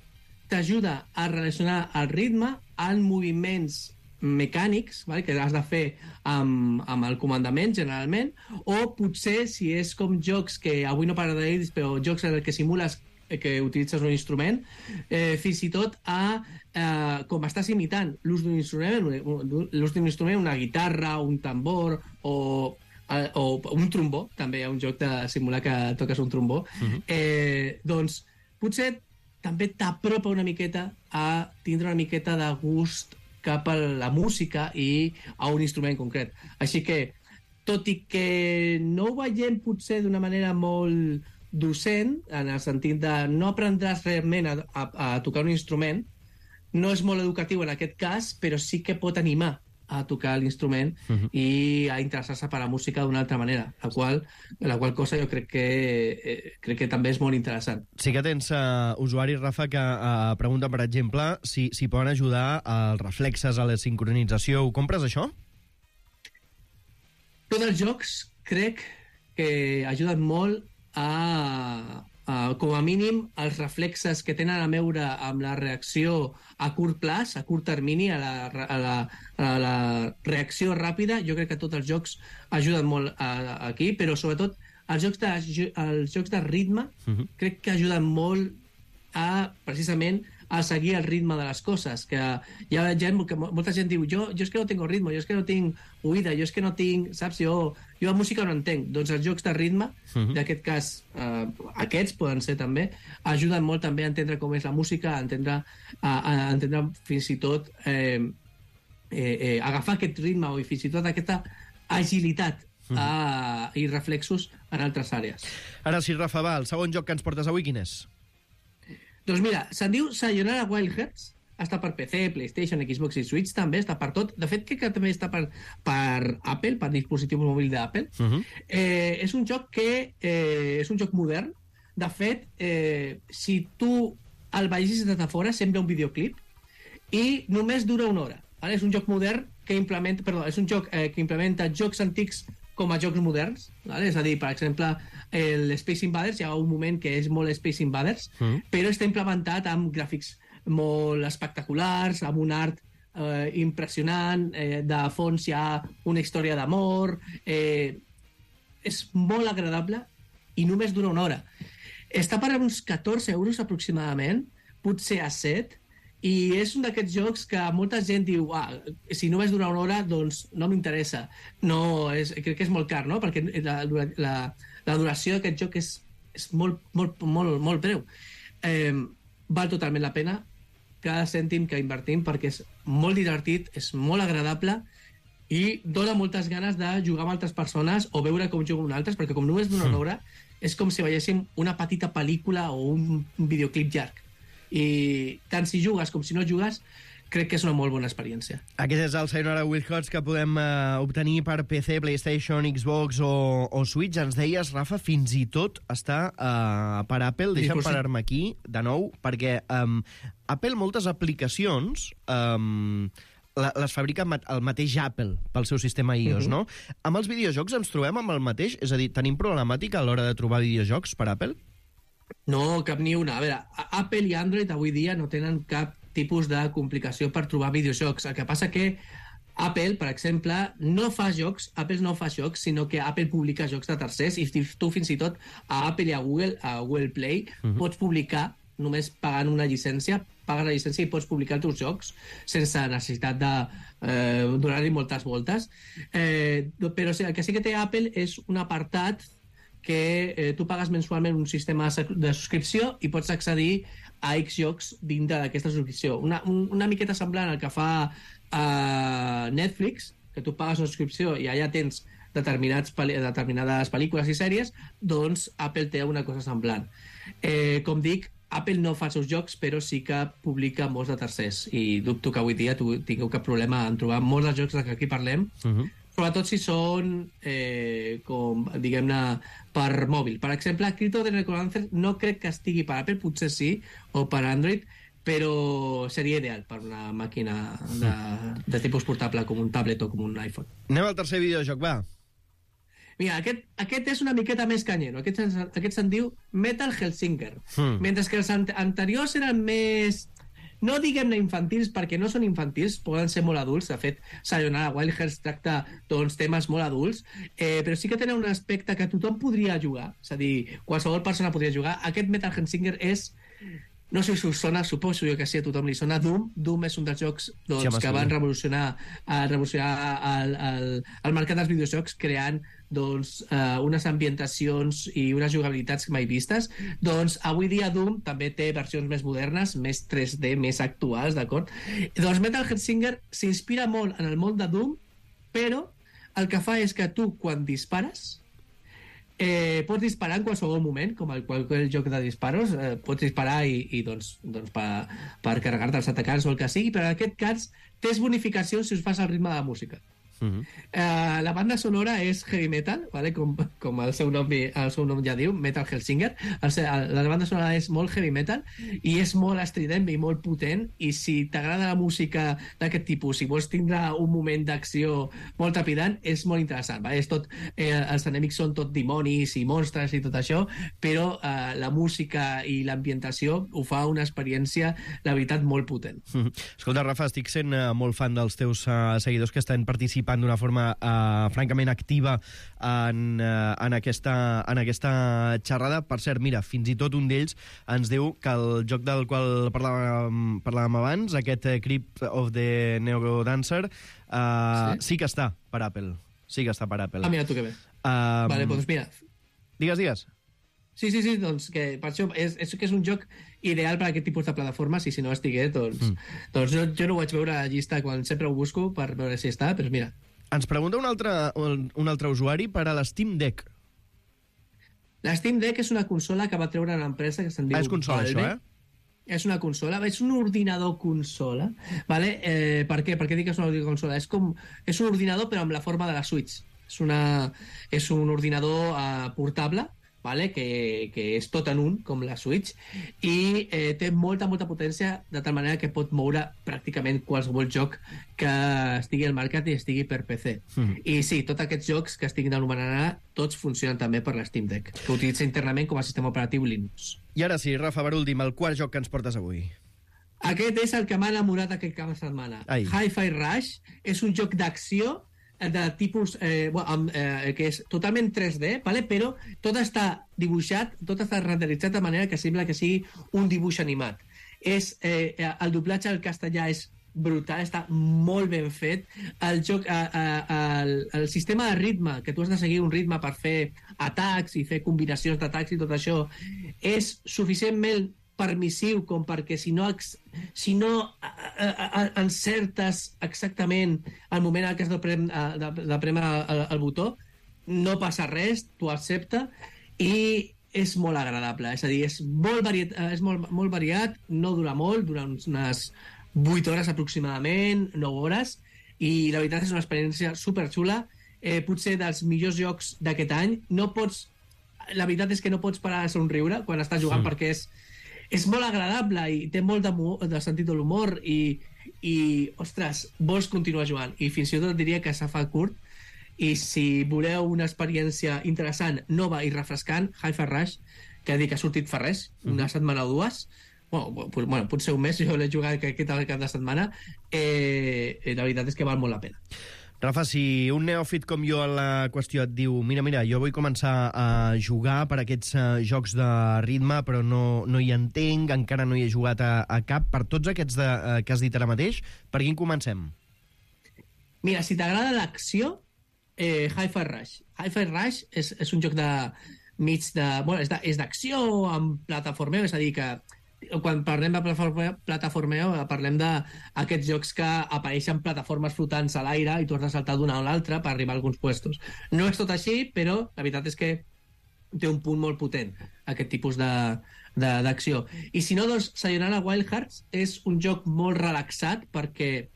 t'ajuda a relacionar el ritme amb moviments mecànics, vale? Que has de fer amb, amb el comandament, generalment, o potser, si és com jocs que avui no parlaré d'ells, però jocs en què simules que utilitzes un instrument, eh, fins i tot a, eh, com estàs imitant l'ús d'un instrument, l'ús d'un instrument, una guitarra, un tambor o, eh, o un trombó, també hi ha un joc de simular que toques un trombó, uh-huh. eh, doncs potser també t'apropa una miqueta a tindre una miqueta de gust cap a la música i a un instrument concret. Així que, tot i que no ho veiem potser d'una manera molt docent, en el sentit de no aprendràs realment a, a, a tocar un instrument, no és molt educatiu en aquest cas, però sí que pot animar a tocar l'instrument uh-huh. i a interessar-se per la música d'una altra manera, la qual, la qual cosa jo crec que, eh, crec que també és molt interessant. Sí que tens uh, usuaris, Rafa, que uh, pregunten, per exemple, si, si poden ajudar als reflexes, a la sincronització. Ho compres, això? Tots els jocs crec que ajuden molt a, uh, com a mínim, els reflexes que tenen a veure amb la reacció a curt plaç, a curt termini, a la, a la, a la reacció ràpida, jo crec que tots els jocs ajuden molt a, a, aquí, però sobretot els jocs de, els jocs de ritme uh-huh. crec que ajuden molt a, precisament, a seguir el ritme de les coses, que hi ha gent, que molta gent diu, jo, jo és que no tengo ritme, jo és que no tinc oïda, jo és que no tinc, saps, jo, jo la música no entenc. Doncs els jocs de ritme, uh-huh. d'aquest cas, eh, aquests poden ser també, ajuden molt també a entendre com és la música, a entendre, a, a entendre fins i tot eh, eh, eh, agafar aquest ritme o fins i tot aquesta agilitat uh, i reflexos en altres àrees. Ara sí, Rafa, va, el segon joc que ens portes avui, quin és? Doncs mira, se'n diu Sayonara Wild Hearts, està per P C, PlayStation, Xbox i Switch, també està per tot. De fet, crec que també està per, per Apple, per dispositiu mòbil d'Apple. Uh-huh. Eh, és un joc que eh, és un joc modern. De fet, eh, si tu el vegis des de fora, sembla un videoclip i només dura una hora. Vale? És un joc modern que implementa, perdó, és un joc eh, que implementa jocs antics com a jocs moderns, vale? És a dir, per exemple, el Space Invaders, hi ha un moment que és molt Space Invaders, mm. però està implementat amb gràfics molt espectaculars, amb un art eh, impressionant, eh, de fons hi ha una història d'amor, eh, és molt agradable i només dura una hora. Està per uns catorze euros aproximadament, potser a set, i és un d'aquests jocs que molta gent diu ah, si només dura una hora, doncs no m'interessa. No, és, crec que és molt car, no? Perquè la, la, la duració d'aquest joc és, és molt, molt, molt, molt breu. Eh, val totalment la pena cada cèntim que invertim perquè és molt divertit, és molt agradable i dona moltes ganes de jugar amb altres persones o veure com juguen altres, perquè com només dura una hora és com si veiéssim una petita pel·lícula o un, un videoclip llarg. I tant si jugues com si no jugues, crec que és una molt bona experiència. Aquest és el Sayonara Wild Hearts que podem uh, obtenir per P C, PlayStation, Xbox o, o Switch. Ens deies, Rafa, fins i tot està uh, per Apple. Deixa'm parar-me aquí, de nou, perquè um, Apple moltes aplicacions um, les fabrica el mateix Apple pel seu sistema iOS, uh-huh. no? Amb els videojocs ens trobem amb el mateix? És a dir, tenim problemàtica a l'hora de trobar videojocs per Apple? No, cap ni una. A veure, Apple i Android avui dia no tenen cap tipus de complicació per trobar videojocs. El que passa que Apple, per exemple, no fa jocs, Apple no fa jocs, sinó que Apple publica jocs de tercers i tu fins i tot a Apple i a Google, a Google Play, uh-huh. pots publicar només pagant una llicència, pagues la llicència i pots publicar els teus jocs sense necessitat de eh, donar-hi moltes voltes. Eh, però el que sí que té Apple és un apartat que eh, tu pagues mensualment un sistema de subscripció i pots accedir a X jocs dintre d'aquesta subscripció. Una, un, una miqueta semblant al que fa uh, Netflix, que tu pagues una subscripció i allà tens determinats, determinades pel·lícules i sèries, doncs Apple té una cosa semblant. Eh, com dic, Apple no fa els seus jocs, però sí que publica molts de tercers. I dubto que avui dia tu tingueu cap problema en trobar molts dels jocs de què aquí parlem, uh-huh. sobretot si són, eh, com, diguem-ne, per mòbil. Per exemple, Crypto the Necromancer no crec que estigui per Apple, potser sí, o per Android, però seria ideal per una màquina de, de tipus portable, com un tablet o com un iPhone. Anem al tercer videojoc, va. Mira, aquest, aquest és una miqueta més canyero. Aquest, aquest se'n diu Metal Hellsinger. Hmm. Mentre que els anteriors eren més... No diguem-ne infantils, perquè no són infantils, poden ser molt adults. De fet, Sayonara Wild Hearts tracta doncs, temes molt adults, eh, però sí que tenen un aspecte que tothom podria jugar. És a dir, qualsevol persona podria jugar. Aquest Metal Hellsinger és... No sé si us sona, suposo jo que sí, a tothom li sona Doom. Doom és un dels jocs doncs, sí, que van revolucionar, uh, revolucionar el, el, el mercat dels videojocs creant doncs, uh, unes ambientacions i unes jugabilitats mai vistes. Doncs avui dia Doom també té versions més modernes, més tres D, més actuals, d'acord? Doncs Metal Hellsinger s'inspira molt en el món de Doom, però el que fa és que tu, quan dispares, Eh, pots disparar en qualsevol moment, com el qualsevol joc de disparos, eh, pots disparar i, i doncs, doncs per, per carregar-te els atacants o el que sigui, però en aquest cas tens bonificacions si us fas al ritme de la música. Uh-huh. Uh, la banda sonora és heavy metal, vale? com, com el, seu nom, el seu nom ja diu, Metal Hellsinger. El, el, la banda sonora és molt heavy metal i és molt estrident i molt potent, i si t'agrada la música d'aquest tipus, si vols tindre un moment d'acció molt trepidant, és molt interessant. Vale? És tot, eh, els enemics són tot dimonis i monstres i tot això, però eh, la música i l'ambientació ho fa una experiència, la veritat, molt potent. Uh-huh. Escolta, Rafa, estic sent uh, molt fan dels teus uh, seguidors que estan participant d'una forma uh, francament activa en, uh, en, aquesta, en aquesta xerrada. Per cert, mira, fins i tot un d'ells ens diu que el joc del qual parlàvem, parlàvem abans, aquest uh, Crypt of the Neurodancer, uh, sí? sí que està per Apple. Sí que està per Apple. Ah, mira tu que bé. Um, vale, doncs mira. Digues, digues. Sí, sí, sí, doncs que per això és, és que és un joc ideal per a aquest tipus de plataformes, i si no estigué, doncs, mm. doncs jo, jo no ho vaig veure a la llista quan sempre ho busco per veure si està, però mira. Ens pregunta un altre, un, un altre usuari per a l'Steam Deck. La Steam Deck és una consola que va treure una empresa que se'n diu... Ah, és consola, Valve. això, eh? És una consola, és un ordinador consola, vale? Eh, per què? Per què dic que és una ordinador consola? És, com, és un ordinador però amb la forma de la Switch. És, una, és un ordinador uh, portable, vale? que, que és tot en un, com la Switch, i eh, té molta, molta potència, de tal manera que pot moure pràcticament qualsevol joc que estigui al mercat i estigui per P C. Mm. I sí, tots aquests jocs que estiguin anomenant ara, tots funcionen també per la Steam Deck, que utilitza internament com a sistema operatiu Linux. I ara sí, Rafa, per últim, el quart joc que ens portes avui. Aquest és el que m'ha enamorat aquest cap de setmana. Ai. Hi-Fi Rush és un joc d'acció de tipus eh, bueno, eh, que és totalment tres D, vale? Però tot està dibuixat, tot està renderitzat de manera que sembla que sigui un dibuix animat. És, eh, el doblatge al castellà és brutal, està molt ben fet. El joc, eh, eh, el, el sistema de ritme, que tu has de seguir un ritme per fer atacs i fer combinacions d'atacs i tot això, és suficientment permissiu com perquè si no, si no a, a, a, encertes exactament el moment en què has de, prem, de, de premer el, el botó, no passa res, tu accepta, i és molt agradable. És a dir, és molt variat, és molt, molt variat, no dura molt, dura unes vuit hores aproximadament, nou hores, i la veritat és una experiència superxula, eh, potser dels millors jocs d'aquest any. No pots, la veritat és que no pots parar de somriure quan estàs jugant, sí. perquè és és molt agradable i té molt de, de sentit de l'humor i, i, ostres, vols continuar jugant. I fins i tot diria que se fa curt, i si voleu una experiència interessant, nova i refrescant, Hi-Fi Rush, que dic que ha sortit fa res, una mm. setmana o dues, bueno, bueno, potser un mes, jo l'he jugat aquest cap de setmana, eh, la veritat és que val molt la pena. Rafa, si un neòfit com jo a la qüestió et diu mira, mira, jo vull començar a jugar per aquests uh, jocs de ritme, però no, no hi entenc, encara no hi he jugat a, a cap, per tots aquests de, uh, que has dit ara mateix, per quin comencem? Mira, si t'agrada l'acció, eh, Hi-Fi Rush. Hi-Fi Rush és, és un joc de mig de... Bueno, és d'acció amb plataformeu, és a dir, que quan parlem de plataformeo parlem d'aquests jocs que apareixen plataformes flotants a l'aire i tu has de saltar d'una a l'altra per arribar a alguns puestos. No és tot així, però la veritat és que té un punt molt potent aquest tipus d'acció. I si no, doncs Sayonara Wild Hearts és un joc molt relaxat perquè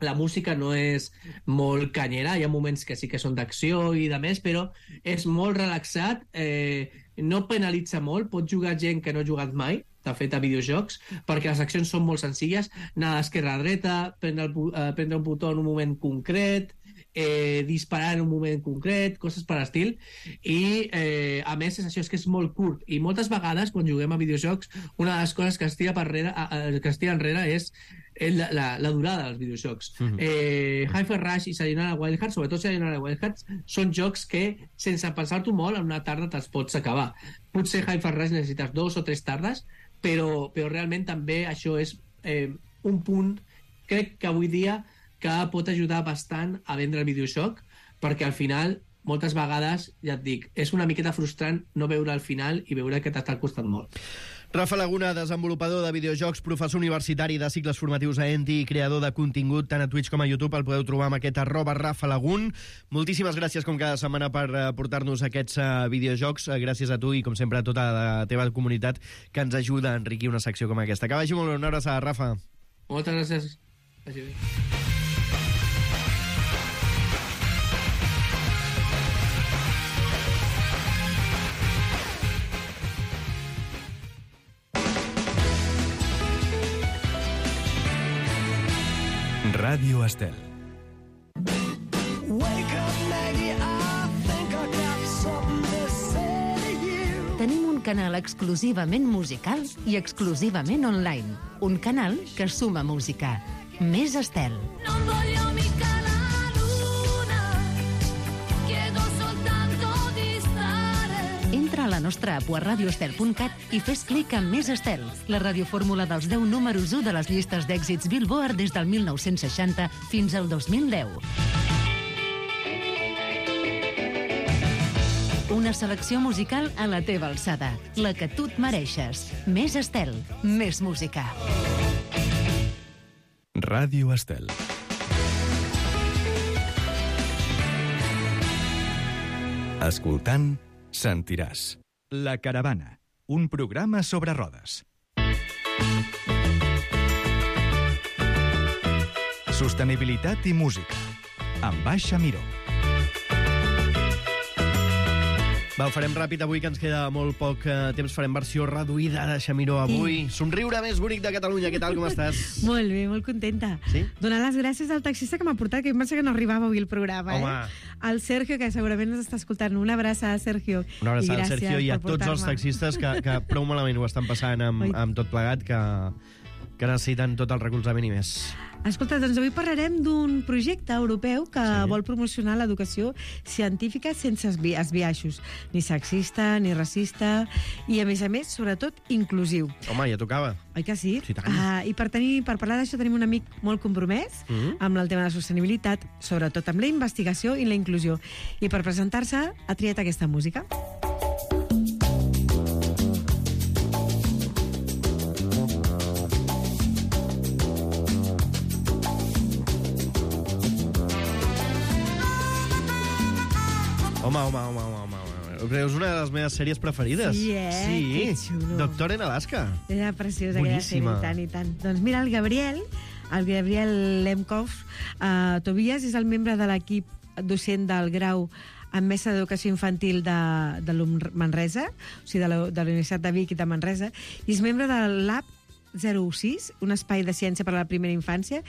la música no és molt canyera, hi ha moments que sí que són d'acció i de més, però és molt relaxat, eh, no penalitza molt, pot jugar gent que no ha jugat mai, de fet, a videojocs, perquè les accions són molt senzilles, anar d'esquerra a dreta, prendre, el, eh, prendre un botó en un moment concret, eh, disparar en un moment concret, coses per l'estil, i eh, a més és això, és que és molt curt, i moltes vegades quan juguem a videojocs una de les coses que es tira, per rere, eh, que es tira enrere és la, la, la durada dels videojocs. Mm-hmm. eh, Hi-Fi Rush i Sayonara Wild Hearts, sobretot Sayonara Wild Hearts, són jocs que sense pensar-t'ho molt en una tarda te'ls pots acabar. Potser Hi-Fi Rush necessites dos o tres tardes, però, però realment també això és eh, un punt, crec que avui dia que pot ajudar bastant a vendre el videojoc, perquè al final, moltes vegades, ja et dic, és una miqueta frustrant no veure al final i veure que t'està costant molt. Rafa Laguna, desenvolupador de videojocs, professor universitari de cicles formatius a Enti i creador de contingut tant a Twitch com a YouTube. El podeu trobar amb aquest arroba Rafa Lagun. Moltíssimes gràcies, com cada setmana, per portar-nos aquests uh, videojocs. Gràcies a tu i, com sempre, a tota la teva comunitat que ens ajuda a enriquir una secció com aquesta. Que vagi molt bé. Una abraçada, Rafa. Moltes gràcies. Vagi bé. Ràdio Estel. Tenim un canal exclusivament musical i exclusivament online. Un canal que suma música. Més Estel. Non voglio mica la luna, chiedo soltanto di stare. Entra a la nostra app a radioestel punt cat i fes clic en Més Estel, la radiofórmula dels deu números u de les llistes d'èxits Billboard des del mil nou-cents seixanta fins al dos mil deu. Una selecció musical a la teva alçada, la que tu et mereixes. Més Estel, més música. Ràdio Estel. Escoltant, sentiràs. La Caravana, un programa sobre rodes. Sostenibilitat i música, amb Baixa Miró. Va, ho farem ràpid avui, que ens queda molt poc eh, temps. Farem versió reduïda de Xamiró avui. Sí. Somriure més bonic de Catalunya. Què tal, com estàs? Molt bé, molt contenta. Sí? Donar les gràcies al taxista que m'ha portat, que jo em penso que no arribava avui el programa. Home. Eh? Al Sergio, que segurament ens està escoltant. Una abraçada, Sergio. Una abraçada al I Sergio i a per tots els portar-me. taxistes que, que prou malament ho estan passant amb, amb tot plegat, que, que necessiten tot el recolzament i més. Escolta, doncs avui parlarem d'un projecte europeu que Sí. vol promocionar l'educació científica sense esbi esbiaixos, ni sexista, ni racista, i, a més a més, sobretot, inclusiu. Home, ja tocava. Oi que sí? Sí, tant. Ah, I per, tenir, per parlar d'això tenim un amic molt compromès Mhm. amb el tema de la sostenibilitat, sobretot amb la investigació i la inclusió. I per presentar-se ha triat aquesta música. Home, home, home, home, home, home. És una de les meves sèries preferides. Sí, eh? Que xulo. Doctor en Alaska. Era preciosa aquella Boníssima. sèrie, tant i tant. Doncs mira, el Gabriel, el Gabriel Lemkov, uh, Tobias és el membre de l'equip docent del grau en mestre d'educació infantil de, de l'U M Manresa, o sigui, de la, de la Universitat de Vic i de Manresa, i és membre del Lab zero sis, un espai de ciència per a la primera infància,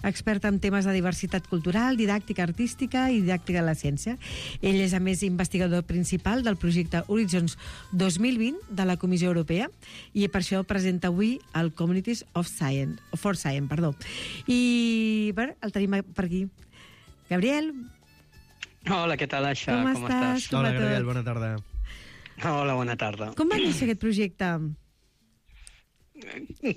expert en temes de diversitat cultural, didàctica artística i didàctica de la ciència. Ell és, a més, investigador principal del projecte Horizons dos mil vint de la Comissió Europea i per això presenta avui el Communities of Science, for Science, perdó. I bé, el tenim per aquí. Gabriel, Hola, què tal, Aixa? Com Com estàs? estàs? Com Hola, va tot? Gabriel, bona tarda. Hola, bona tarda. com va néixer aquest projecte?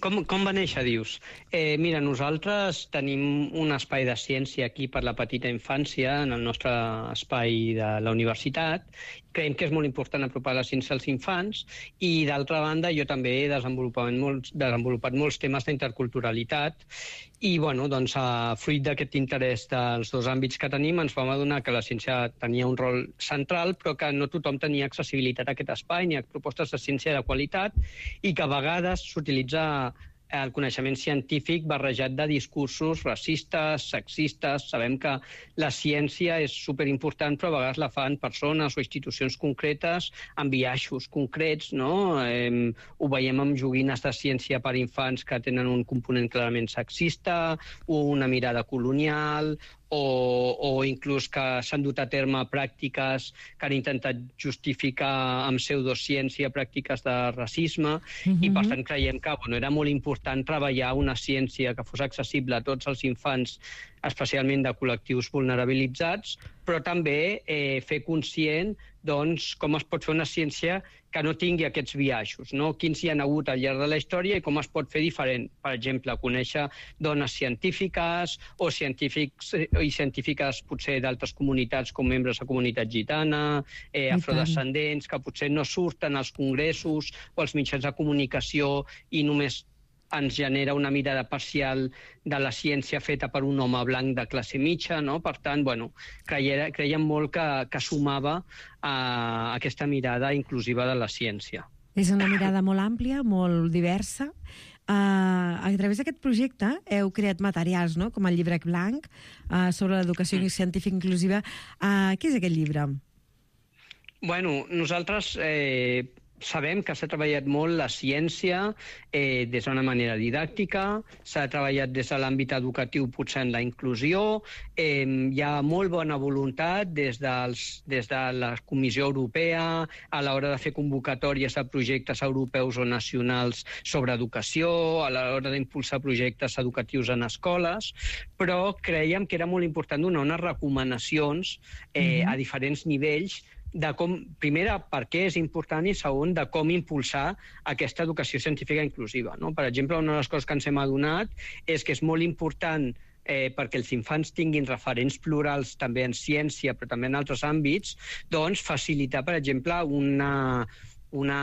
Com, com va néixer, dius? Eh, mira, nosaltres tenim un espai de ciència aquí per la petita infància, en el nostre espai de la universitat. Creiem que és molt important apropar la ciència als infants i, d'altra banda, jo també he desenvolupat molts, desenvolupat molts temes d'interculturalitat i, bueno, doncs, a fruit d'aquest interès dels dos àmbits que tenim, ens vam adonar que la ciència tenia un rol central, però que no tothom tenia accessibilitat a aquest espai ni a propostes de ciència de qualitat i que a vegades s'utilitza el coneixement científic barrejat de discursos racistes, sexistes. Sabem que la ciència és superimportant, però a vegades la fan persones o institucions concretes amb biaixos concrets, no? Eh, ho veiem amb joguines de ciència per infants que tenen un component clarament sexista, una mirada colonial, o, o inclús que s'han dut a terme pràctiques que han intentat justificar amb pseudociència pràctiques de racisme, Mhm. i per tant creiem que bueno, era molt important treballar una ciència que fos accessible a tots els infants, especialment de col·lectius vulnerabilitzats, però també eh, fer conscient doncs, com es pot fer una ciència que no tingui aquests biaixos, no? Quins hi ha hagut al llarg de la història i com es pot fer diferent. Per exemple, conèixer dones científiques o científics i científiques potser d'altres comunitats com membres de comunitat gitana, eh, afrodescendents, que potser no surten als congressos o als mitjans de comunicació i només ens genera una mirada parcial de la ciència feta per un home blanc de classe mitja, no? Per tant, bueno, creia, creiem molt que, que sumava a aquesta mirada inclusiva de la ciència. És una mirada molt àmplia, molt diversa. Uh, a través d'aquest projecte heu creat materials, no?, com el llibre blanc uh, sobre l'educació científica inclusiva. Uh, què és aquest llibre? Bueno, nosaltres eh, sabem que s'ha treballat molt la ciència eh, des d'una manera didàctica, s'ha treballat des de l'àmbit educatiu potser en la inclusió, eh, hi ha molt bona voluntat des, dels, des de la Comissió Europea a l'hora de fer convocatòries de projectes europeus o nacionals sobre educació, a l'hora d'impulsar projectes educatius en escoles, però creiem que era molt important donar unes recomanacions eh, a diferents nivells de com, primera, per què és important i segon, de com impulsar aquesta educació científica inclusiva. No? Per exemple, una de les coses que ens hem adonat és que és molt important eh, perquè els infants tinguin referents plurals també en ciència, però també en altres àmbits, doncs facilitar, per exemple, una, una,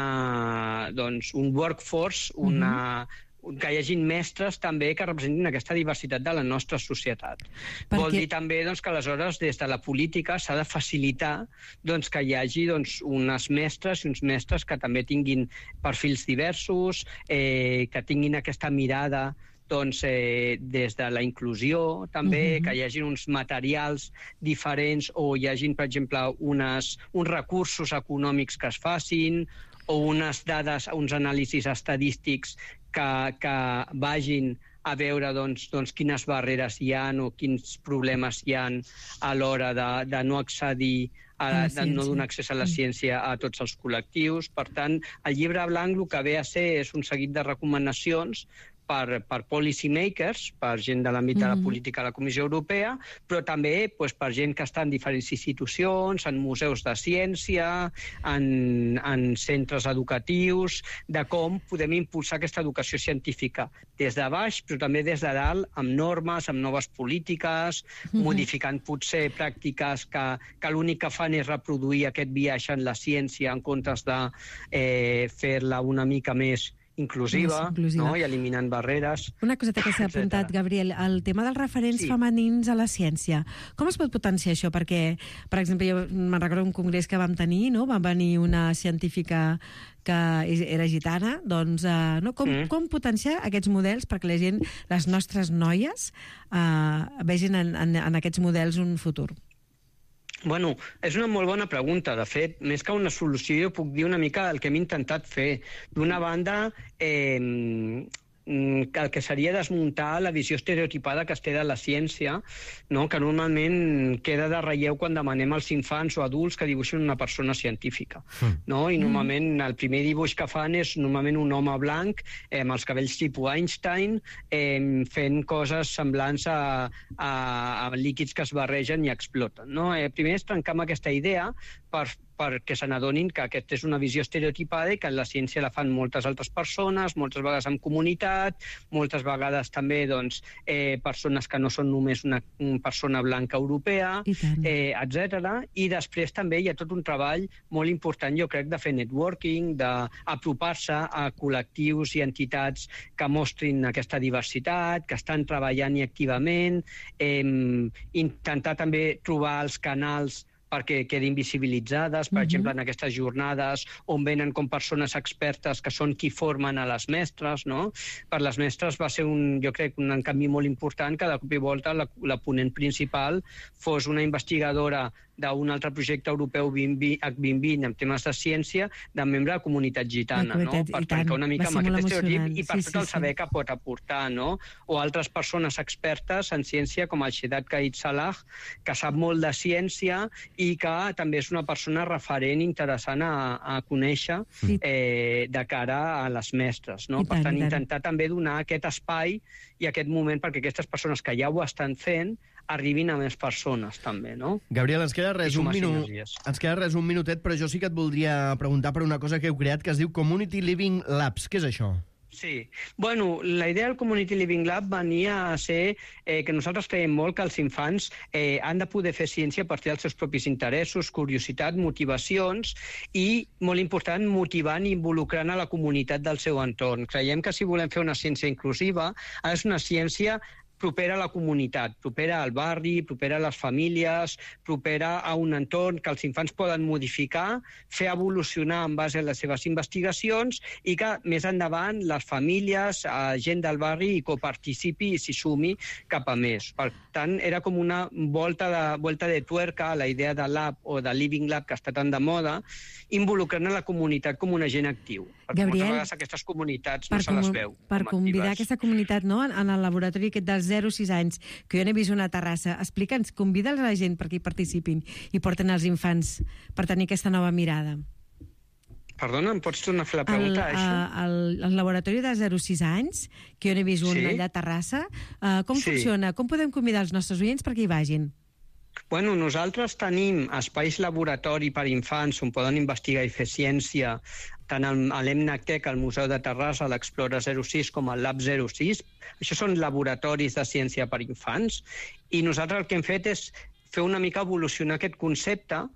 doncs, un workforce, una... Uh-huh. que hi hagin mestres també que representin aquesta diversitat de la nostra societat. Perquè... Vol dir també doncs, que aleshores des de la política s'ha de facilitar doncs, que hi hagi doncs, unes mestres i uns mestres que també tinguin perfils diversos, eh, que tinguin aquesta mirada doncs, eh, des de la inclusió, també, uh-huh. que hi hagi uns materials diferents o hi hagi, per exemple, unes, uns recursos econòmics que es facin o unes dades, uns anàlisis estadístics que, que vagin a veure doncs, doncs, quines barreres hi ha o quins problemes hi ha a l'hora de, de no accedir a, a de no donar accés a la ciència a tots els col·lectius. Per tant, el llibre blanc el que ve a ser és un seguit de recomanacions per, per policy makers, per gent de l'àmbit de la política de la Comissió Europea, però també doncs, per gent que està en diferents institucions, en museus de ciència, en, en centres educatius, de com podem impulsar aquesta educació científica des de baix, però també des de dalt, amb normes, amb noves polítiques, mm-hmm. modificant potser pràctiques que, que l'únic que fan és reproduir aquest viatge en la ciència en comptes de eh, fer-la una mica més inclusiva, inclusiva. No? I eliminant barreres. Una coseta que s'ha apuntat, Gabriel, el tema dels referents sí. femenins a la ciència. Com es pot potenciar això? Perquè, per exemple, jo me'n recordo un congrés que vam tenir, no? Va venir una científica que era gitana, doncs, uh, no? com, mm. com potenciar aquests models perquè la gent, les nostres noies, uh, vegin en, en, en aquests models un futur? Bueno, és una molt bona pregunta. De fet, més que una solució, jo puc dir una mica el que hem intentat fer. D'una banda, eh, el que seria desmuntar la visió estereotipada que es té de la ciència, no? Que normalment queda de relleu quan demanem als infants o adults que dibuixin una persona científica. No? I normalment el primer dibuix que fan és normalment un home blanc eh, amb els cabells tipus Einstein eh, fent coses semblants a, a, a líquids que es barregen i exploten. No? Eh, primer és trencar amb aquesta idea per perquè se n'adonin que aquesta és una visió estereotipada i que la ciència la fan moltes altres persones, moltes vegades en comunitat, moltes vegades també doncs, eh, persones que no són només una, una persona blanca europea, eh, etcètera. I després també hi ha tot un treball molt important, jo crec, de fer networking, d'apropar-se a col·lectius i entitats que mostrin aquesta diversitat, que estan treballant-hi activament, eh, intentar també trobar els canals perquè quedin visibilitzades, per uh-huh. exemple, en aquestes jornades on venen com persones expertes que són qui formen a les mestres, no? Per les mestres va ser, un, jo crec, un canvi molt important que de cop i volta la, la ponent principal fos una investigadora d'un altre projecte europeu H vint vint en temes de ciència, de membre de comunitat gitana, no? Per trencar una mica amb aquest estereotip i per sí, tot el sí, saber sí. que pot aportar, no? O altres persones expertes en ciència com el Shedat Kaid Salah, que sap molt de ciència i que també és una persona referent interessant a, a conèixer sí. eh, de cara a les mestres, no? I per tant, tant, intentar també donar aquest espai i aquest moment perquè aquestes persones que ja ho estan fent arribin a més persones, també, no? Gabriel, ens queda res un minut, ens queda res un minutet, però jo sí que et voldria preguntar per una cosa que heu creat que es diu Community Living Labs. Què és això? Sí. Bueno, la idea del Community Living Lab venia a ser eh, que nosaltres creiem molt que els infants eh, han de poder fer ciència a partir dels seus propis interessos, curiositat, motivacions i, molt important, motivant i involucrant a la comunitat del seu entorn. Creiem que si volem fer una ciència inclusiva, ha de ser una ciència propera a la comunitat, propera al barri, propera a les famílies, propera a un entorn que els infants poden modificar, fer evolucionar en base a les seves investigacions i que més endavant les famílies, eh, gent del barri, hi coparticipi i s'hi sumi cap a més. Per tant, era com una volta de, volta de tuerca a la idea de lab o de living lab que està tan de moda, involucrant a la comunitat com un agent actiu. Perquè Gabriel, moltes vegades aquestes comunitats no per se les com- veu Per com convidar actives. aquesta comunitat, no?, en, en el laboratori aquest dels zero a sis anys, que jo n'he vist una terrassa, explica'ns, convida'ls a la gent perquè hi participin i porten els infants per tenir aquesta nova mirada. Perdona, em pots tornar a fer la El, pregunta, això? uh, el, el laboratori de zero a sis anys, que jo n'he vist un Sí. allà a Terrassa, uh, com Sí. funciona? Com podem convidar els nostres oients perquè hi vagin? Bueno, nosaltres tenim espais laboratori per infants on poden investigar i fer ciència, tant al- a l'EMNACTEC, al Museu de Terrassa, l'Explora zero sis, com al Lab zero sis. Això són laboratoris de ciència per infants. I nosaltres el que hem fet és fer una mica evolucionar aquest concepte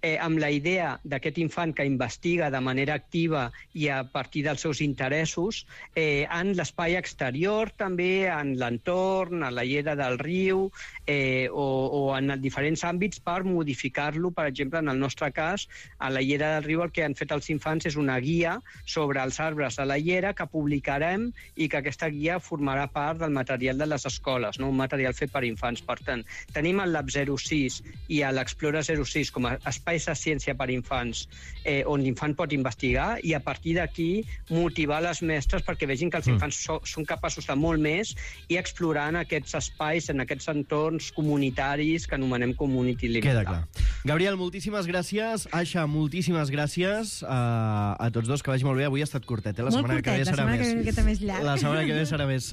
eh, amb la idea d'aquest infant que investiga de manera activa i a partir dels seus interessos eh, en l'espai exterior, també en l'entorn, a la llera del riu eh, o, o en diferents àmbits per modificar-lo. Per exemple, en el nostre cas, a la llera del riu el que han fet els infants és una guia sobre els arbres de la llera que publicarem i que aquesta guia formarà part del material de les escoles, no? Un material fet per infants. Per tant, tenim el Lab zero sis i l'Explora zero sis com a espais de ciència per infants eh, on l'infant pot investigar i a partir d'aquí motivar les mestres perquè vegin que els infants so, són capaços de molt més i explorar en aquests espais, en aquests entorns comunitaris que anomenem community living. Queda clar. Gabriel, moltíssimes gràcies. Aixa, moltíssimes gràcies uh, a tots dos, que vagi molt bé. Avui ha estat curtet, eh? La Molt setmana que curtet, ve la serà setmana més. que ve una miqueta més llarg. La setmana que ve serà més.